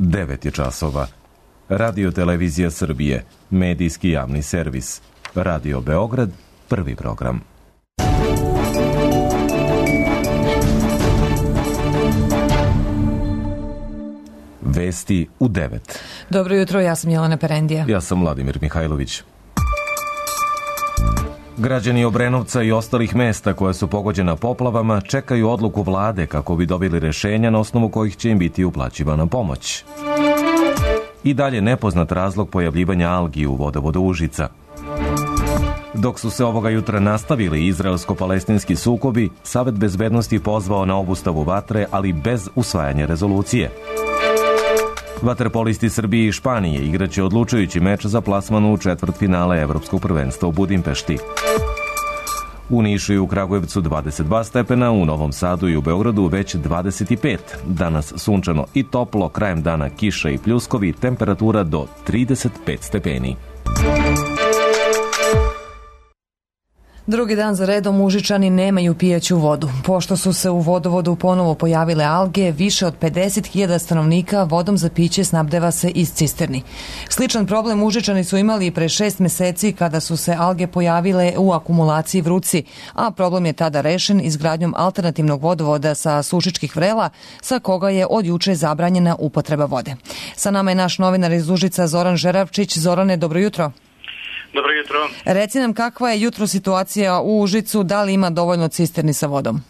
9 je časova. Radio Televizija Srbije, medijski javni servis. Radio Beograd, prvi program. Vesti u 9. Dobro jutro, ja sam Jelena Perendija. Ja sam Vladimir Mihajlović. Građani Obrenovca i ostalih mesta koja su pogođena poplavama čekaju odluku vlade kako bi dobili rešenja na osnovu kojih će im biti uplaćivana pomoć. I dalje nepoznat razlog pojavljivanja algi u vodovodu Užica. Dok su se ovoga jutra nastavili izraelsko-palestinski sukobi, Savet bezbednosti pozvao na obustavu vatre, ali bez usvajanja rezolucije. Vaterpolisti Srbije i Španije igraće odlučujući meč za plasman u četvrtfinale Evropskog prvenstva u Budimpešti. U Nišu i u Kragujevcu 22 stepena, u Novom Sadu i u Beogradu već 25. Danas sunčano i toplo, krajem dana kiša i pljuskovi, temperatura do 35 stepeni. Drugi dan za redom Užičani nemaju pijaću vodu. Pošto su se u vodovodu ponovo pojavile alge, više od 50.000 stanovnika vodom za piće snabdeva se iz cisterni. Sličan problem Užičani su imali i pre 6 meseci kada su se alge pojavile u akumulaciji Vruci, a problem je tada rešen izgradnjom alternativnog vodovoda sa Sušičkih Vrela, sa koga je od juče zabranjena upotreba vode. Sa nama je naš novinar iz Užica Zoran Žeravčić. Zorane, dobro jutro. Dobro jutro. Reci nam kakva je jutro situacija u Užicu, da li ima dovoljno cisterni sa vodom?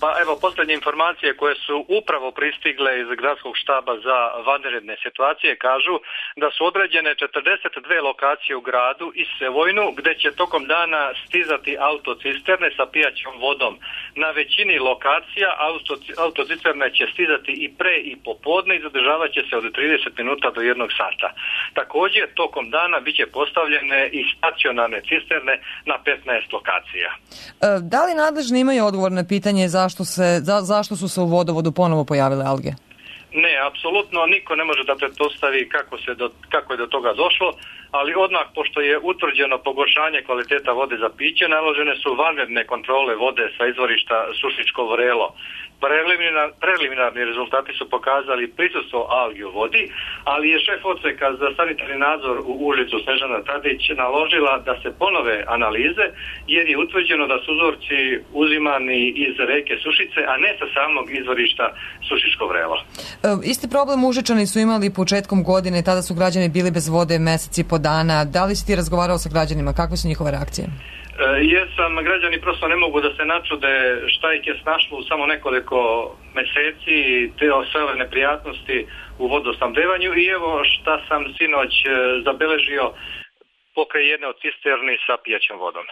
Pa evo, posljednje informacije koje su upravo pristigle iz gradskog štaba za vanredne situacije kažu da su određene 42 lokacije u gradu i Sevojnu gdje će tokom dana stizati autocisterne sa pijaćom vodom. Na većini lokacija autocisterne će stizati i pre i popodne i zadržavat će se od 30 minuta do 1 sata. Također, tokom dana bit će postavljene i stacionarne cisterne na 15 lokacija. Da li nadležni imaju odgovor na pitanje zašto su se u vodovodu ponovo pojavile alge? Ne, apsolutno niko ne može da pretpostavi kako je do toga došlo, ali odmah pošto je utvrđeno pogoršanje kvaliteta vode za piće, naložene su vanredne kontrole vode sa izvorišta Sušičko Vrelo. Preliminarni rezultati su pokazali prisustvo algi u vodi, ali je šef odseka za sanitarni nadzor u Užicu Snežana Tadić naložila da se ponove analize, jer je utvrđeno da su uzorci uzimani iz reke Sušice, a ne sa samog izvorišta Sušičko Vrelo. Isti problem Užičani su imali početkom godine, tada su građani bili bez vode meseci po dana. Da li si ti razgovarao sa građanima? Kakve su njihove reakcije? Jesam, građani prosto ne mogu da se načude šta ih je snašlo u samo nekoliko meseci, sve ove neprijatnosti u vodosnabdevanju i evo šta sam sinoć zabeležio pokraj jedne od cisterni sa pijaćom vodom.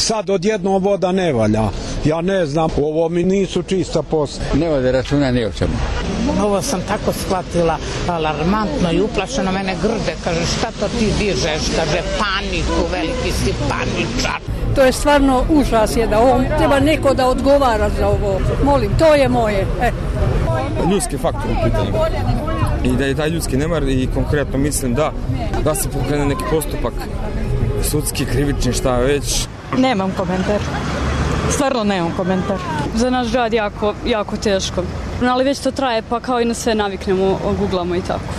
Sad odjednom voda ne valja. Ja ne znam, ovo mi nisu čista posla. Ne vode računa ni o čemu. Ovo sam tako shvatila, alarmantno i uplašeno, mene grde, kaže šta to ti dižeš, kaže paniku, veliki si paničar. To je stvarno užas je da ovom treba neko da odgovara za ovo. Molim, to je moje. Ljudski faktor u pitanju. I da je taj ljudski nemar i konkretno mislim da se pokrene neki postupak sudski, krivični, šta već. Nemam komentar. Stvarno nemam komentar. Za naš grad jako teško. Ali već to traje, pa kao i na sve naviknemo, googlamo i tako.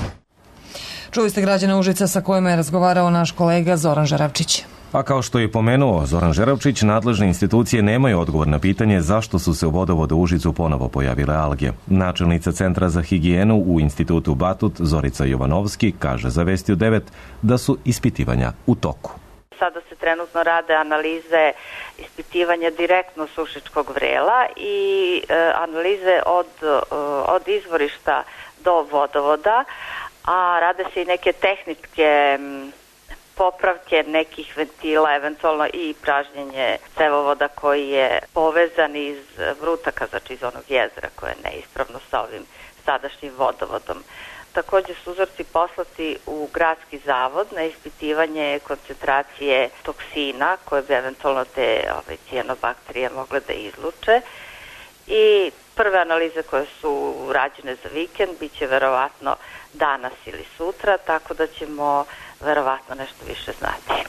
Čuli ste građana Užica sa kojima je razgovarao naš kolega Zoran Žeravčić. A kao što je pomenuo Zoran Žeravčić, nadležne institucije nemaju odgovor na pitanje zašto su se u vodovodu Užicu ponovo pojavile alge. Načelnica Centra za higijenu u Institutu Batut Zorica Jovanovski kaže za Vesti u 9 da su ispitivanja u toku. Sada se trenutno rade analize ispitivanja direktno Sušičkog Vrela i analize od izvorišta do vodovoda, a rade se i neke tehničke popravke nekih ventila, eventualno i pražnjenje cevovoda koji je povezan iz Vrutaka, znači iz onog jezera koje je neispravno sa ovim sadašnjim vodovodom. Također su uzorci poslati u gradski zavod na ispitivanje koncentracije toksina koje bi eventualno te cijanobakterije mogle da izluče. I prve analize koje su rađene za vikend bit će verovatno danas ili sutra, tako da ćemo verovatno nešto više znati.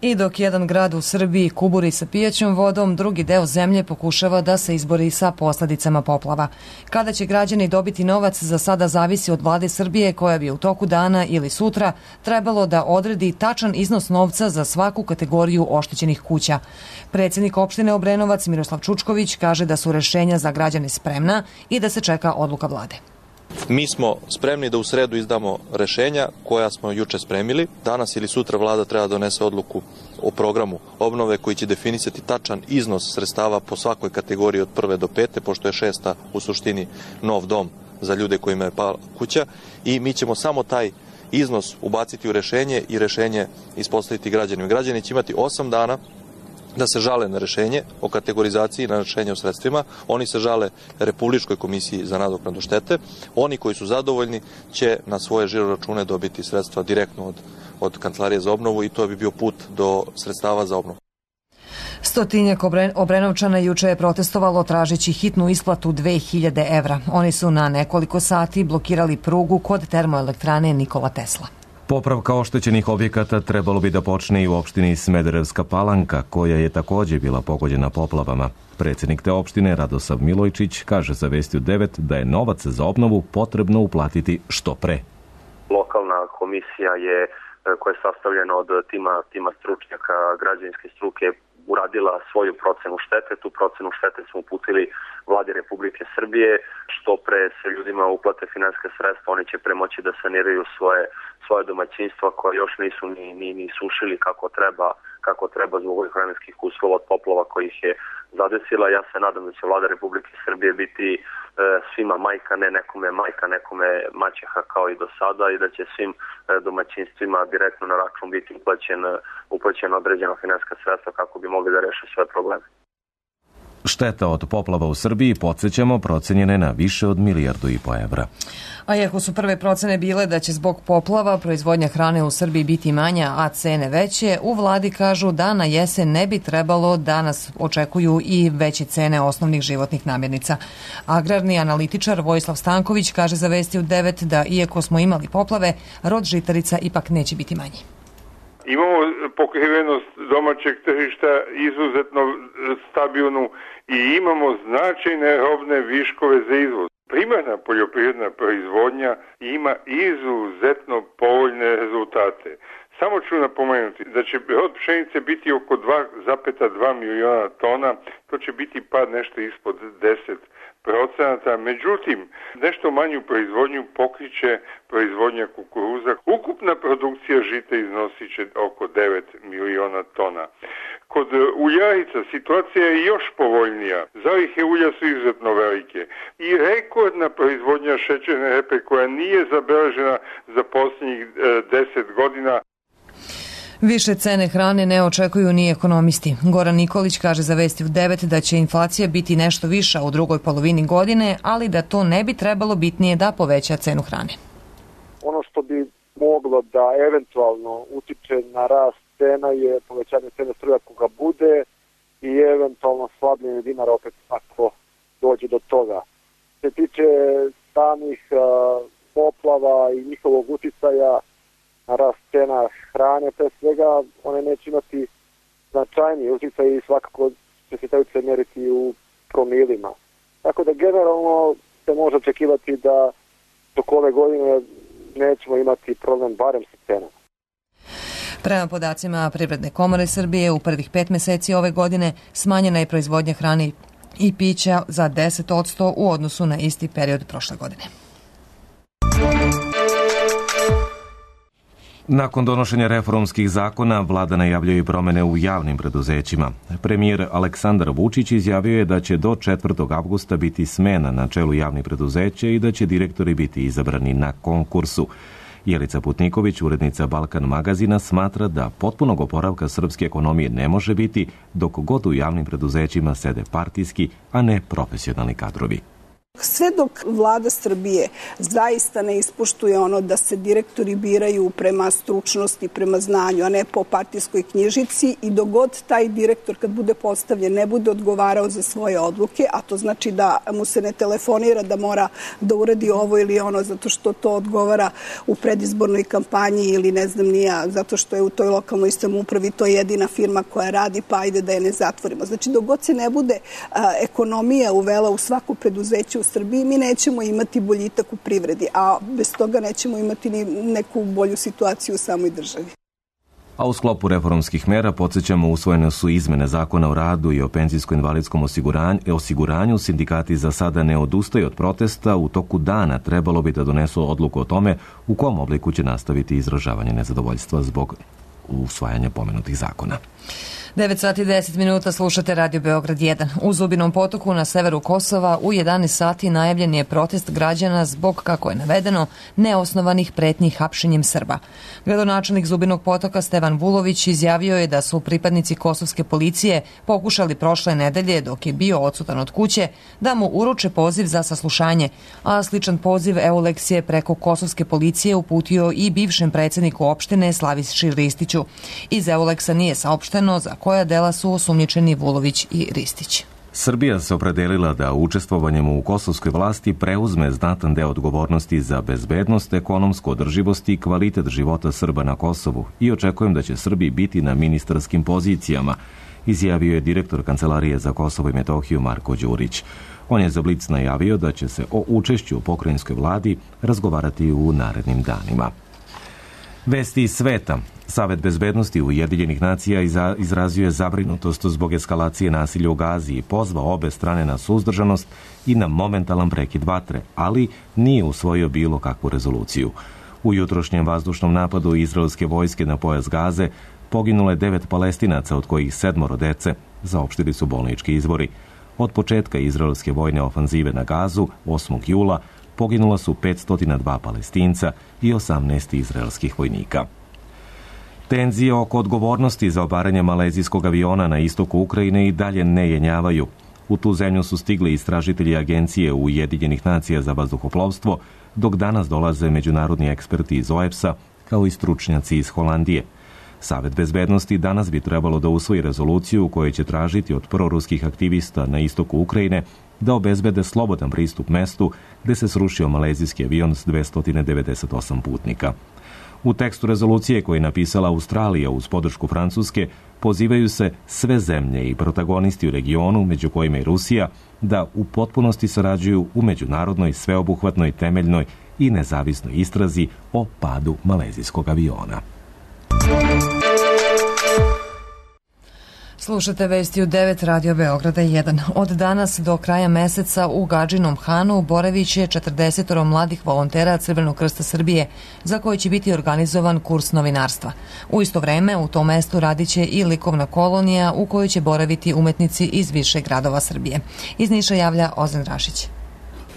I dok jedan grad u Srbiji kuburi sa pijaćom vodom, drugi deo zemlje pokušava da se izbori sa posledicama poplava. Kada će građani dobiti novac, za sada zavisi od vlade Srbije, koja bi u toku dana ili sutra trebalo da odredi tačan iznos novca za svaku kategoriju oštećenih kuća. Predsjednik opštine Obrenovac Miroslav Čučković kaže da su rešenja za građane spremna i da se čeka odluka vlade. Mi smo spremni da u sredu izdamo rešenja koja smo juče spremili. Danas ili sutra vlada treba donese odluku o programu obnove koji će definisati tačan iznos sredstava po svakoj kategoriji od 1. do 5. pošto je 6. u suštini nov dom za ljude kojima je pala kuća i mi ćemo samo taj iznos ubaciti u rešenje i rešenje ispostaviti građanima. Građani će imati 8 dana da se žale na rešenje o kategorizaciji, na rešenje o sredstvima. Oni se žale Republičkoj komisiji za nadoknadu štete. Oni koji su zadovoljni će na svoje žiro račune dobiti sredstva direktno od Kancelarije za obnovu i to bi bio put do sredstava za obnovu. Stotinjak Obrenovčana juče je protestovalo tražeći hitnu isplatu 2000 evra. Oni su na nekoliko sati blokirali prugu kod termoelektrane Nikola Tesla. Popravka oštećenih objekata trebalo bi da počne i u opštini Smederevska Palanka, koja je takođe bila pogođena poplavama. Predsjednik te opštine Radosav Milojčić kaže za Vesti u 9 da je novac za obnovu potrebno uplatiti što pre. Lokalna komisija koja je sastavljena od tima stručnjaka građevinske struke uradila svoju procenu štete. Tu procenu štete smo uputili vladi Republike Srbije. Što pre se ljudima uplate finansijska sredstva, oni će premoći da saniraju svoje domaćinstva koja još nisu ni sušili kako treba zbog ovih vremenskih uslova od poplava koji ih je zadesila. Ja se nadam da će vlada Republike Srbije biti svima majka, ne nekome majka, nekome maćeha kao i do sada i da će svim domaćinstvima direktno na račun biti uplaćena određena finansijska sredstva kako bi mogli da reše svoje probleme. Šteta od poplava u Srbiji, podsjećamo, procenjene na više od 1,5 milijardu evra. A iako su prve procene bile da će zbog poplava proizvodnja hrane u Srbiji biti manja, a cene veće, u vladi kažu da na jesen ne bi trebalo da nas očekuju i veće cene osnovnih životnih namirnica. Agrarni analitičar Vojislav Stanković kaže za Vesti u 9 da iako smo imali poplave, rod žitarica ipak neće biti manji. Imamo pokrivenost domaćeg tržišta izuzetno stabilnu i imamo značajne robne viškove za izvoz. Primarna poljoprivredna proizvodnja ima izuzetno povoljne rezultate. Samo ću napomenuti da će rod pšenice biti oko 2,2 miliona tona, to će biti pad nešto ispod 10%, međutim nešto manju proizvodnju pokriće proizvodnja kukuruza. Ukupna produkcija žita iznosit će oko 9 miliona tona. Kod uljarica situacija je još povoljnija. Zalihe ulja su izuzetno velike i rekordna proizvodnja šećerne repe koja nije zabeležena za posljednjih 10 godina. Više cene hrane ne očekuju ni ekonomisti. Goran Nikolić kaže za Vesti u 9 da će inflacija biti nešto viša u drugoj polovini godine, ali da to ne bi trebalo bitnije da poveća cenu hrane. Ono što bi moglo da eventualno utiče na rast cena je povećanje cene struje ako ga bude i eventualno slabljenje dinara opet ako dođe do toga. Se tiče samih poplava i njihovog uticaja na rast cena hrane, pre svega one neće imati značajniji uticaj i svakako će se taj uticaj mjeriti u promilima. Tako da generalno se može očekivati da dok ove godine nećemo imati problem barem sa cenama. Prema podacima Privredne komore Srbije, u prvih 5 meseci ove godine smanjena je proizvodnja hrane i pića za 10% u odnosu na isti period prošle godine. Nakon donošenja reformskih zakona, vlada najavljuje i promene u javnim preduzećima. Premijer Aleksandar Vučić izjavio je da će do 4. avgusta biti smena na čelu javnih preduzeća i da će direktori biti izabrani na konkursu. Jelica Putniković, urednica Balkan magazina, smatra da potpunog oporavka srpske ekonomije ne može biti dok god u javnim preduzećima sede partijski, a ne profesionalni kadrovi. Sve dok vlada Srbije zaista ne ispoštuje ono da se direktori biraju prema stručnosti, prema znanju, a ne po partijskoj knjižici, i dogod taj direktor kad bude postavljen ne bude odgovarao za svoje odluke, a to znači da mu se ne telefonira da mora da uradi ovo ili ono zato što to odgovara u predizbornoj kampanji ili ne znam nija, zato što je u toj lokalnoj samoupravi to jedina firma koja radi, pa ajde da je ne zatvorimo. Znači dogod se ne bude ekonomija uvela u svako preduzeće u Srbiji, mi nećemo imati boljitak u privredi, a bez toga nećemo imati ni neku bolju situaciju u samoj državi. A u sklopu reformskih mera, podsjećamo, usvojene su izmene Zakona o radu i o penzijsko-invalidskom osiguranju. Sindikati za sada ne odustaju od protesta. U toku dana trebalo bi da donesu odluku o tome u kom obliku će nastaviti izražavanje nezadovoljstva zbog usvajanja pomenutih zakona. 9 sati i 10 minuta, slušate Radio Beograd 1. U Zubinom Potoku na severu Kosova u 11 sati najavljen je protest građana zbog, kako je navedeno, neosnovanih pretnji hapšenjem Srba. Gradonačelnik Zubinog Potoka Stevan Vulović izjavio je da su pripadnici kosovske policije pokušali prošle nedelje, dok je bio odsutan od kuće, da mu uruče poziv za saslušanje, a sličan poziv Euleks je preko kosovske policije uputio i bivšem predsjedniku opštine Slaviši Ristiću. Iz Euleksa nije saopšteno za koja dela su osumnjičeni Vulović i Ristić. Srbija se opredelila da učestvovanjem u kosovskoj vlasti preuzme znatan deo odgovornosti za bezbednost, ekonomsku održivost i kvalitet života Srba na Kosovu i očekujem da će Srbi biti na ministarskim pozicijama, izjavio je direktor Kancelarije za Kosovo i Metohiju Marko Đurić. On je za Blic najavio da će se o učešću u pokrajinskoj vladi razgovarati u narednim danima. Vesti iz sveta. Savet bezbednosti Ujedinjenih nacija izrazio je zabrinutost zbog eskalacije nasilja u Gazi i pozvao obe strane na suzdržanost i na momentalan prekid vatre, ali nije usvojio bilo kakvu rezoluciju. U jutrošnjem vazdušnom napadu izraelske vojske na pojas Gaze poginulo je 9 Palestinaca, od kojih 7 dece, saopštili su bolnički izvori. Od početka izraelske vojne ofanzive na Gazu, 8. jula, poginula su 502 Palestinca i 18 izraelskih vojnika. Tenzije oko odgovornosti za obaranje malezijskog aviona na istoku Ukrajine i dalje ne jenjavaju. U tu zemlju su stigli istražitelji Agencije Ujedinjenih nacija za vazduhoplovstvo, dok danas dolaze međunarodni eksperti iz OEPS-a, kao i stručnjaci iz Holandije. Savet bezbednosti danas bi trebalo da usvoji rezoluciju u kojoj će tražiti od proruskih aktivista na istoku Ukrajine da obezbede slobodan pristup mestu gde se srušio malezijski avion s 298 putnika. U tekstu rezolucije koju je napisala Australija uz podršku Francuske, pozivaju se sve zemlje i protagonisti u regionu, među kojima i Rusija, da u potpunosti sarađuju u međunarodnoj, sveobuhvatnoj, temeljnoj i nezavisnoj istrazi o padu malezijskog aviona. Slušate vesti u 9 Radio Beograda 1. Od danas do kraja meseca u Gadžinom Hanu boravit će 40 mladih volontera Crvenog krsta Srbije, za koji će biti organizovan kurs novinarstva. U isto vreme u tom mestu radit će i likovna kolonija u kojoj će boraviti umetnici iz više gradova Srbije. Iz Niša javlja Ozan Rašić.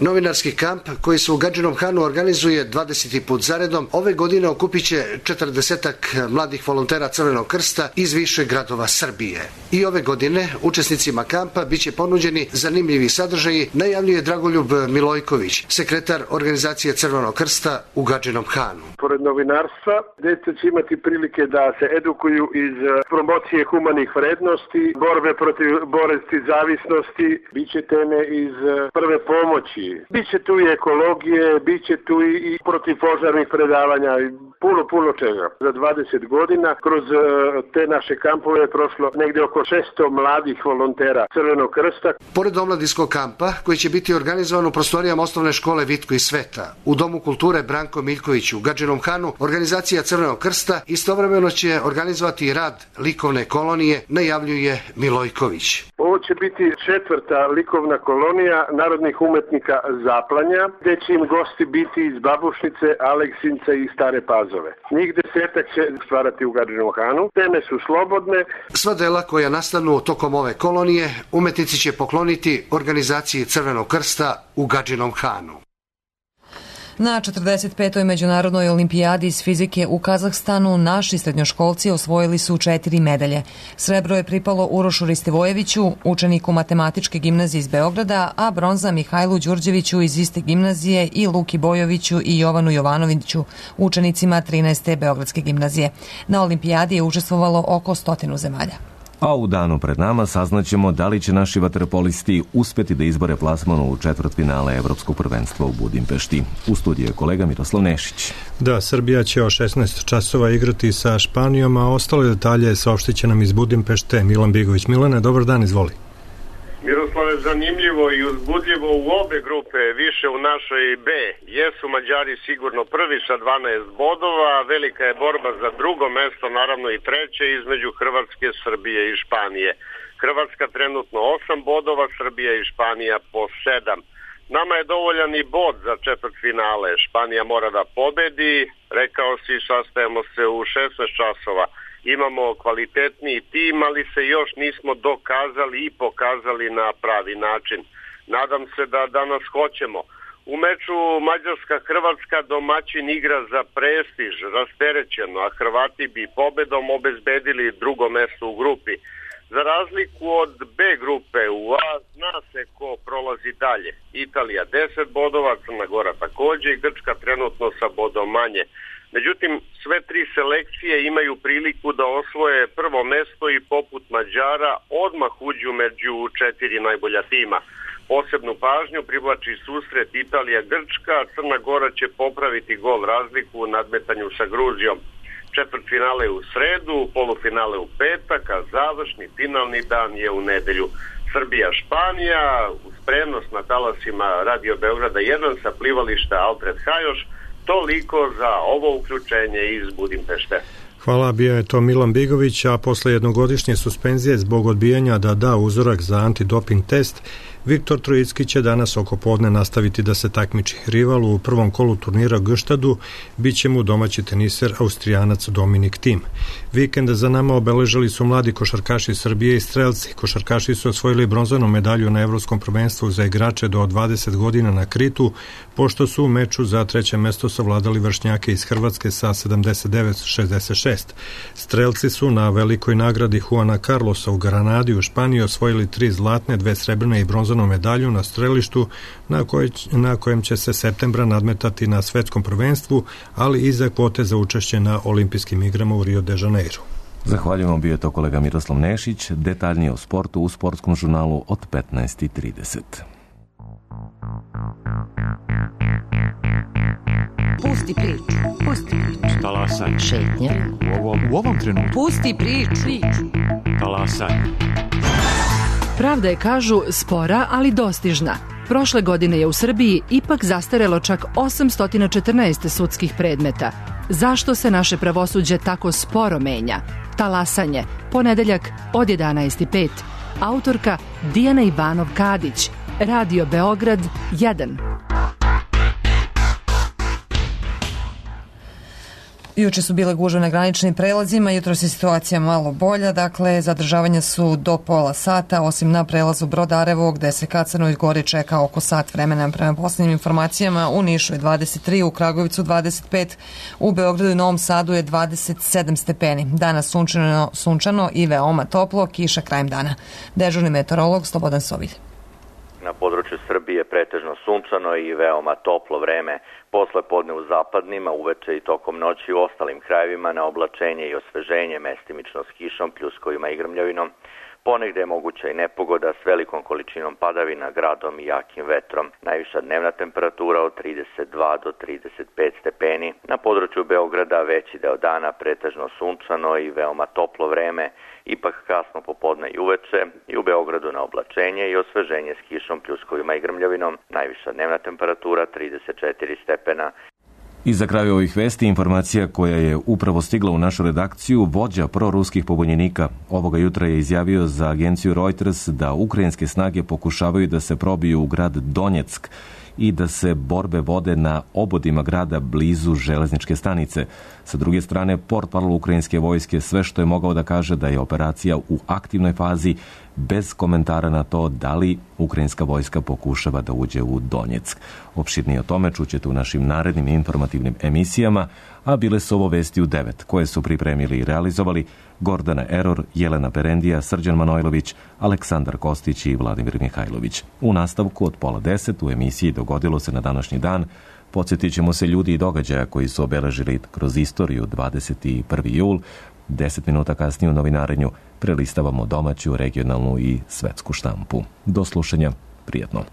Novinarski kamp koji se u Gadžinom Hanu organizuje 20. put zaredom, ove godine okupit će 40 mladih volontera Crvenog krsta iz više gradova Srbije. I ove godine učesnicima kampa biće ponuđeni zanimljivi sadržaji, najavljuje Dragoljub Milojković, sekretar organizacije Crvenog krsta u Gadžinom Hanu. Pored novinarstva, deca će imati prilike da se edukuju iz promocije humanih vrednosti, borbe protiv bolesti zavisnosti, biće teme iz prve pomoći. Biće tu i ekologije, biće tu i protivpožarnih predavanja, puno čega. Za 20 godina kroz te naše kampove je prošlo negde oko 600 mladih volontera Crvenog krsta. Pored omladinskog kampa, koji će biti organizovan u prostorijama osnovne škole Vitko i Sveta, u Domu kulture Branko Miljković u Gadžinom Hanu, organizacija Crvenog krsta istovremeno će organizovati i rad likovne kolonije, najavljuje Milojković. Ovo će biti 4. likovna kolonija narodnih umetnika Zaplanja, gde će im gosti biti iz Babušnice, Aleksinca i Stare Pazove. Njih 10 će stvarati u Gadžinom Hanu. Teme su slobodne. Sva dela koja nastanu tokom ove kolonije umetnici će pokloniti organizaciji Crvenog krsta u Gadžinom Hanu. Na 45. međunarodnoj olimpijadi iz fizike u Kazahstanu naši srednjoškolci osvojili su 4 medalje. Srebro je pripalo Urošu Ristivojeviću, učeniku matematičke gimnazije iz Beograda, a bronza Mihajlu Đurđeviću iz iste gimnazije i Luki Bojoviću i Jovanu Jovanoviću, učenicima 13. Beogradske gimnazije. Na olimpijadi je učestvovalo oko 100 zemalja. A u danu pred nama saznaćemo da li će naši vaterpolisti uspjeti da izbore plasman u četvrtfinale Evropskog prvenstva u Budimpešti. U studiju je kolega Miroslav Nešić. Da, Srbija će o 16 časova igrati sa Španijom, a ostale detalje saopštit će nam iz Budimpešte Milan Bigović. Milane, dobar dan, izvoli. Miroslave, zanimljivo i uzbudljivo u obe grupe, više u našoj B. Jesu Mađari sigurno prvi sa 12 bodova, velika je borba za drugo mesto, naravno i treće, između Hrvatske, Srbije i Španije. Hrvatska trenutno 8 bodova, Srbija i Španija po 7. Nama je dovoljan i bod za četvrtfinale. Španija mora da pobedi, rekao si, sastajemo se u 16 časova. Imamo kvalitetniji tim, ali se još nismo dokazali i pokazali na pravi način. Nadam se da danas hoćemo. U meču Mađarska-Hrvatska domaćin igra za prestiž, rasterećeno, a Hrvati bi pobedom obezbedili drugo mesto u grupi. Za razliku od B grupe u A zna se ko prolazi dalje. Italija 10 bodova, Crna Gora takođe i Grčka trenutno sa bodom manje. Međutim, sve tri selekcije imaju priliku da osvoje prvo mesto i poput Mađara odmah uđu među 4 najbolja tima. Posebnu pažnju privlači susret Italija-Grčka, Crna Gora će popraviti gol razliku u nadmetanju sa Gruzijom. Četvrtfinale u sredu, polufinale u petak, a završni finalni dan je u nedelju. Srbija-Španija, uz prenos na talasima Radio Beograda 1 sa plivališta Alfred Hajoš. Toliko za ovo uključenje iz Budimpešte. Hvala, bio je to Milan Bigović, a posle jednogodišnje suspenzije zbog odbijanja da da uzorak za antidoping test, Viktor Trojicki će danas oko podne nastaviti da se takmiči. Rival u prvom kolu turnira Gštadu biće mu domaći teniser Austrijanac Dominik Thiem. Vikend za nama obeležili su mladi košarkaši Srbije i strelci. Košarkaši su osvojili bronzanu medalju na Evropskom prvenstvu za igrače do 20 godina na Kritu, pošto su u meču za treće mesto savladali vršnjake iz Hrvatske sa 79-66. Strelci su na velikoj nagradi Juana Carlosa u Granadi u Španiji osvojili 3 zlatne, 2 srebrne i bronzanu medalju na strelištu na kojem će se septembra nadmetati na svetskom prvenstvu, ali i za kvote za učešće na olimpijskim igrama u Rio de Janeiro. Zahvaljujemo, bio je to kolega Miroslav Nešić. Detaljnije o sportu u sportskom žurnalu od 15:30. Pusti priču. Pusti priču. Talasaj. Šetnja. U ovom trenutku. Pusti priču. Talasaj. Pravda je, kažu, spora, ali dostižna. Prošle godine je u Srbiji ipak zastarelo čak 814 sudskih predmeta. Zašto se naše pravosuđe tako sporo menja? Talasanje, ponedeljak od 11:05. Autorka Dijana Ivanov-Kadić. Radio Beograd 1. Juče su bile gužve na graničnim prelazima, jutros je situacija malo bolja, dakle zadržavanja su do pola sata, osim na prelazu Brodarevo gde se ka Crnoj Gori čeka oko sat vremena. Prema posljednjim informacijama u Nišu je 23, u Kragovicu 25, u Beogradu i Novom Sadu je 27 stepeni. Danas sunčano i veoma toplo, kiša krajem dana. Dežurni meteorolog Slobodan Sovilj. Na području Srbije pretežno sunčano i veoma toplo vreme. Posle podne u zapadnima, uveče i tokom noći u ostalim krajevima na oblačenje i osveženje, mestimično s kišom, pljuskovima i grmljavinom. Ponegde je moguća i nepogoda s velikom količinom padavina, gradom i jakim vetrom. Najviša dnevna temperatura od 32 do 35 stepeni. Na području Beograda veći deo dana pretežno sunčano i veoma toplo vreme. Ipak kasno popodne i uveče i u Beogradu na oblačenje i osveženje s kišom, pljuskovima i grmljavinom. Najviša dnevna temperatura 34 stepena. I za kraj ovih vesti informacija koja je upravo stigla u našu redakciju. Vođa proruskih pobunjenika ovoga jutra je izjavio za agenciju Reuters da ukrajinske snage pokušavaju da se probiju u grad Donjeck i da se borbe vode na obodima grada blizu železničke stanice. Sa druge strane, portparol ukrajinske vojske sve što je mogao da kaže da je operacija u aktivnoj fazi, bez komentara na to da li ukrajinska vojska pokušava da uđe u Donjeck. Opširnije o tome čućete u našim narednim informativnim emisijama, a bile su ovo vesti u 9, koje su pripremili i realizovali Gordana Eror, Jelena Perendija, Srđan Manojlović, Aleksandar Kostić i Vladimir Mihajlović. U nastavku od 9:30 u emisiji Dogodilo se na današnji dan podsjetit ćemo se ljudi i događaja koji su obeležili kroz istoriju 21. jul. 10 minuta kasnije u novinarenju prelistavamo domaću, regionalnu i svetsku štampu. Do slušanja, prijatno.